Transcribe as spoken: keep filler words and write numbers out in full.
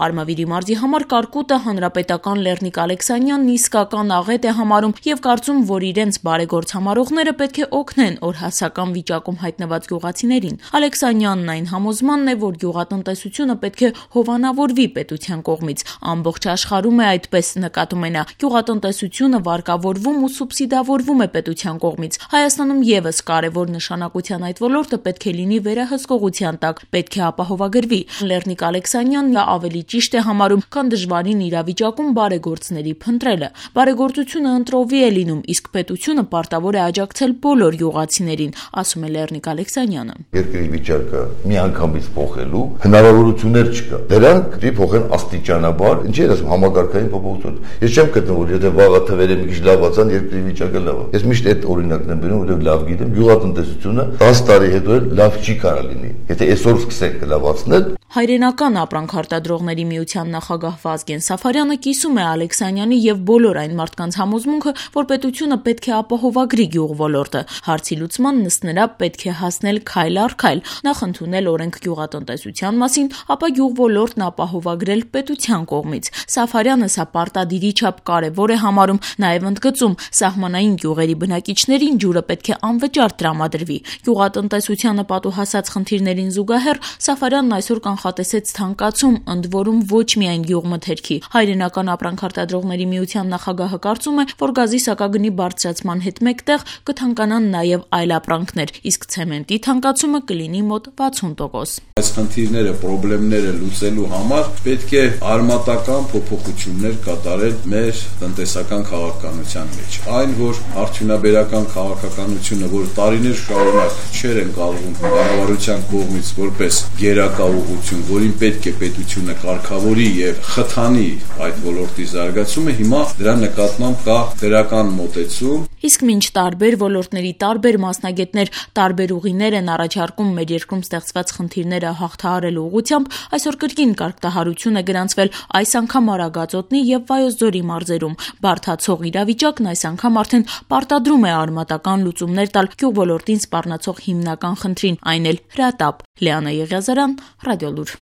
Արմավիրի մարզի համար Կարկուտը հանրապետական Լեռնիկ Ալեքսանյանն իսկական աղետ է համարում եւ կարծում, որ իրենց բարեգործ համարողները պետք է օգնեն օրհասական վիճակում հայտնված գյուղացիներին։ Ալեքսանյանն այն համոզմանն է, որ գյուղատնտեսությունը պետք է հովանավորվի պետության կողմից։ Ամբողջ աշխարհում է այդպես, նկատում է նա, գյուղատնտեսությունը վարկավորվում ու սուբսիդավորվում է պետության կողմից։ Հայաստանում եւս կարևոր նշանակության այդ ոլորտը պետք է լինի վերահսկողության տակ, պետք է ապահովագրվի։ Լեռնիկ Ալեքսանյանն ավելի ճիշտ է համարում, քան դժվարին իրավիճակում բարեգործների փնտրելը։ Բարեգործությունը ընտրովի է լինում, իսկ պետությունը պարտավոր է աջակցել բոլոր գյուղացիներին, ասում է Լեռնիկ Ալեքսանյանը։ Երկրի վիճակը միանգամից փոխելու հնարավորություններ չկա։ Դրանք դի փոխեն աստիճանաբար, ինչի ես ասում, համագարկային փոփոխություն։ Ես չեմ գտնում, որ եթե վաղը թվերը մի քիչ լավացան, երկրի վիճակը լավ է։ Ես միշտ այդ օրինակն եմ բերում, որովհետև լավ գիտեմ, գյուղատնտեսությունը դաս տարի հետո լավ չի կարող լինի։ Եթե այսօր սկսենք լավացնել, Հայրենական ապրանք արտադրողների միության նախագահ Վազգեն Սաֆարյանը կիսում է Ալեքսանյանի եւ բոլոր այն մարդկանց համոզմունքը, որ պետությունը պետք է ապահովագրի գյուղոլորտը։ Հարցի լուծման ըստ նրա պետք է հասնել քայլ առ քայլ, նախ ընդունել օրենք գյուղատնտեսության մասին, ապա գյուղոլորտն ապահովագրել պետության կողմից։ Սաֆարյանը սա պարտադիրի չափ կարևոր է համարում, նաեւ ընդգծում, սահմանային գյուղերի բնակիչներին ջուրը պետք է անվճար տրամադրվի։ Գյուղատնտեսությանը պատուհասած խնդիրներին զուգահեռ Սաֆարյանն այսօր կանխատեսեց թանկացում, ընդ որում ոչ միայն գյուղմթերքի։ Հայրենական ապրանք արտադրողների միության նախագահը կարծում է, որ գազի սակագնի բարձրացման հետ մեկտեղ կթանկանան նաև այլ ապրանքներ, իսկ ցեմենտի թանկացումը կլինի մոտ վաթսուն տոկոս։ Այս խնդիրները, խնդիրները լուծելու համար պետք է արմատական փոփոխություններ կատարել մեր տնտեսական քաղաքականության մեջ։ Այն, որ արդյունաբերական քաղաքականությունը, որ տարիներ շարունակ չեր են կալվում կառավարության կողմից որպես գերակա ուղղություն, որին պետք է պետությունը կարգավորի եւ խթանի այդ ոլորտի զարգացումը, հիմա դրա նկատմամբ կա դրական մոտեցում։ Իսկ մինչ տարբեր ոլորտների տարբեր մասնագետներ տարբեր ուղիներ են առաջարկում մեր երկրում ստեղծված խնդիրները հաղթահարելու ուղղությամբ, այսօր կրկին կարգտահարություն է գրանցվել այս անգամ Արագածոտնի եւ Վայոց ձորի մարզերում։ Բարդացող իրավիճակն այս անգամ արդեն պարտադրում է արմատական լուծումներ տալ գյուղոլորտին սպառնացող հիմնական խնդրին, այն էլ հրատապ։ Լիանա Եղիազարյան, Ռադիոլուր։